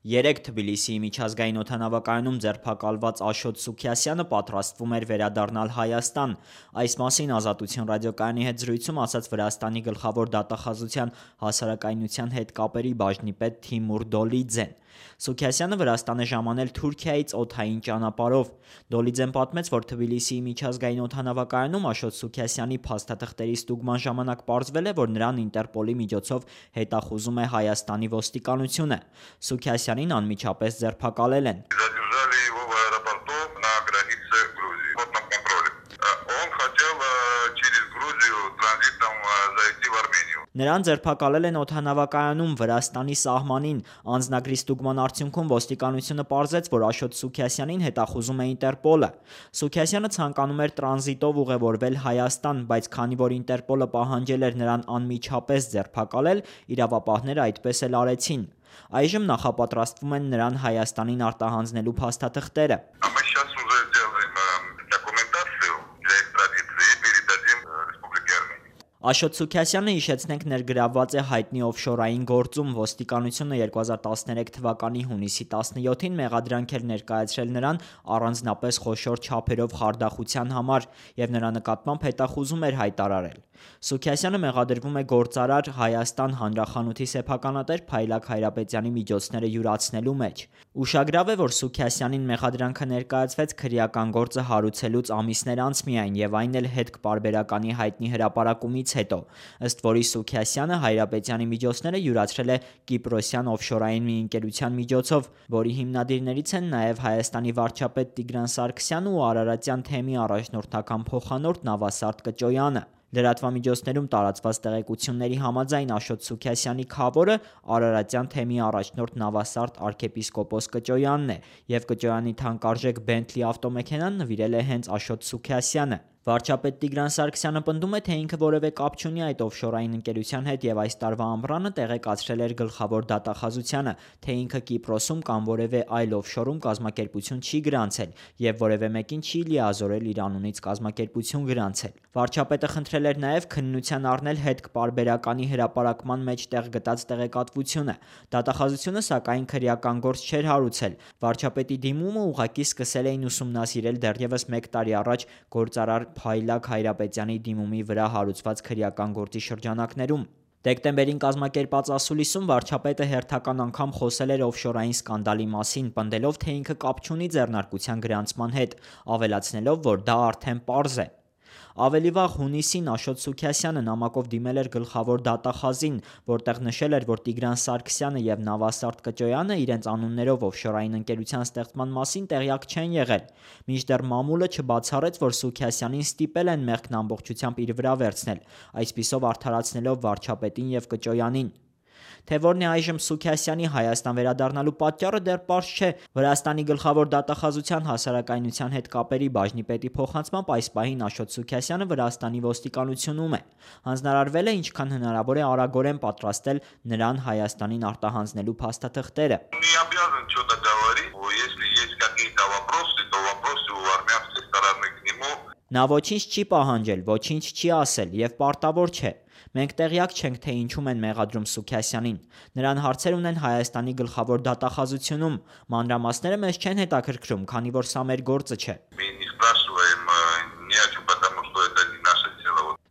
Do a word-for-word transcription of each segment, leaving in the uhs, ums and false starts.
Երեկ Թբիլիսիի միջազգային օդանավակայանում ձերբակալված Աշոտ Սուքիասյանը պատրաստվում էր վերադառնալ Հայաստան։ Այս մասին Ազատություն ռադիոկայանի հետ զրույցում ասաց Վրաստանի գլխավոր դատախազության հասարակայնության հետ կապերի բաժնի պետ Թիմուր Դոլիձեն։ Սուքիասյանը Վրաստան է ժամանել Թուրքիայից օդային ճանապարհով։ Դոլիձեն պատմեց, որ Թբիլիսիի միջազգային օդանավակայանում Աշոտ Սուքիասյանի փաստաթղթերի ստուգման ժամանակ պարզվել է, որ նրան Ինտերպոլի միջոցով հետախուզում է Հայաստանի ոստիկանությունը։ Սուքիասյանին անմիջապես ձերբակալել են։ Նրան ձերբակալել են օդանավակայանում Վրաստանի սահմանին։ Անձնագրի ստուգման արդյունքում ոստիկանությունը պարզեց, որ Աշոտ Սուքիասյանին հետախուզում է Ինտերպոլը։ Սուքիասյանը ցանկանում էր տրանզիտով ուղևորվել Հայաստան, բայց քանի որ Ինտերպոլը պահանջել էր նրան անմիջապես ձերբակալել, իրավապահները այդպես էլ արեցին։ Այժմ նախապատրաստվում են նրան Հայաստանին արտահանձնելու փաստաթղթերը։ Աշոտ Սուքիասյանը, հիշեցնենք, ներգրավված է հայտնի օֆշորային գործում։ Ոստիկանությունը երկու հազար տասներեք թվականի հունիսի տասնյոթին մեղադրանք էր ներկայացրել նրան առանձնապես խոշոր չափերով խարդախության համար և նրա նկատմամբ հետախուզում էր հայտարարել։ Սուքիասյանը մեղադրվում է գործարար Հայաստան հանրախանութի սեփականատեր Փայլակ Հայրապետյանի միջոցները յուրացնելու մեջ։ Ուշագրավ է, որ Սուքիասյանին մեղադրանքը ներկայացվեց քրեական գործը հարուցելուց ամիսներ անց միայն, և այն էլ հետքպարբերականի հայտնի հրապարակումից հետո, ըստ որի Սուքիասյանը Հայրապետյանի միջոցները յուրացրել է կիպրոսյան օֆշորային մի ընկերության միջոցով, որի հիմնադիրներից են նաև Հայաստանի վարչապետ Տիգրան Սարգսյանն ու արարատյան թեմի առաջնորդական փոխանորդ Նավասարդ Կճոյանը։ Լրատվամիջոցներում տարածված տեղեկությունների համաձայն Աշոտ Սուքիասյանի քավորը արարատյան թեմի առաջնորդ Նավասարդ arczepiskopos Կճոյանն է, և Կճոյանի թանկարժեք Bentley ավտոմեքենան նվիրել է հենց Աշոտ Սուքիասյանը։ Վարչապետ Տիգրան Սարգսյանը պնդում է, թե ինքը որևէ կապ չունի այդ օֆշորային ընկերության հետ և այս տարվա ամռանը տեղեկացրել էր գլխավոր դատախազությանը, թե ինքը Կիպրոսում կամ որևէ այլ օֆշորում կազմակերպություն չի գրանցել և որևէ մեկին չի լիազորել իր անունից կազմակերպություն գրանցել։ Վարչապետը խնդրել էր նաև քննության առնել հետքպարբերականի հրապարակման մեջ տեղ գտած տեղեկատվությունը։ Դատախազությունը, սակայն, քրեական գործ չէր հարուցել։ Վարչապետի դիմումը ուղղակի սկսել էին ուսումնասիրել դեռևս մեկ տարի առաջ գործարար Փայլակ Հայրապետյանի դիմումի վրա հարուցված քրեական գործի շրջանակներում։ Դեկտեմբերին կազմակերպած ասուլիսում վարչապետը հերթական անգամ խոսել էր օֆշորային սկանդալի մասին, պնդելով, թե ինքը կապ չունի ձեռնարկության գրանցման հետ, ավելացնելով, որ դա արդեն պարզ է։ Ավելի վաղ հունիսին Աշոտ Սուքիասյանը նամակով դիմել էր գլխավոր դատախազին, որտեղ նշել էր, որ Տիգրան Սարգսյանը և Նավասարդ Կճոյանը իրենց անուններով օֆշորային ընկերության ստեղծման մասին տեղյակ չեն եղել, մինչդեռ մամուլը չբացառեց, որ Սուքիասյանին ստիպել են մեղքն ամբողջությամբ իր վրա վերցնել, այսպիսով արդարացնելով վարչապետին և Կճոյանին։ Թե որն է այժմ Սուքիասյանի Հայաստան վերադառնալու պատճառը, դեռ պարզ չէ։ Վրաստանի գլխավոր դատախազության հասարակայնության հետ կապերի բաժնի պետի փոխանցմամբ այս պահին Աշոտ Սուքիասյանը Վրաստանի ոստիկանությունում է։ Հանձնարարվել է ինչքան հնարավոր է արագորեն պատրաստել նրան Հայաստանին արտահանձնելու փաստաթղթերը։ Նա ոչինչ չի պահանջել, ոչինչ չի ասել և պարտավոր չէ։ Մենք տեղյակ չենք, թե ինչում են մեղադրում Սուքիասյանին։ Նրան հարցեր ունեն Հայաստանի գլխավոր դատախազությունում։ Մանրամասները մեզ չեն հետաքրքրում, քանի որ սա մեր գործը չէ։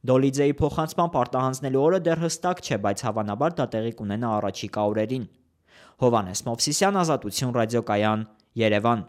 Դոլիձեի փոխանցմամբ արտահանձնելու օրը դեռ հստակ չէ, բայց հավանաբար դա տեղի կունենա առաջիկա օրերին։ Հովհաննես Մովսիսյան, Ազատություն ռադիոկայան, Երևան։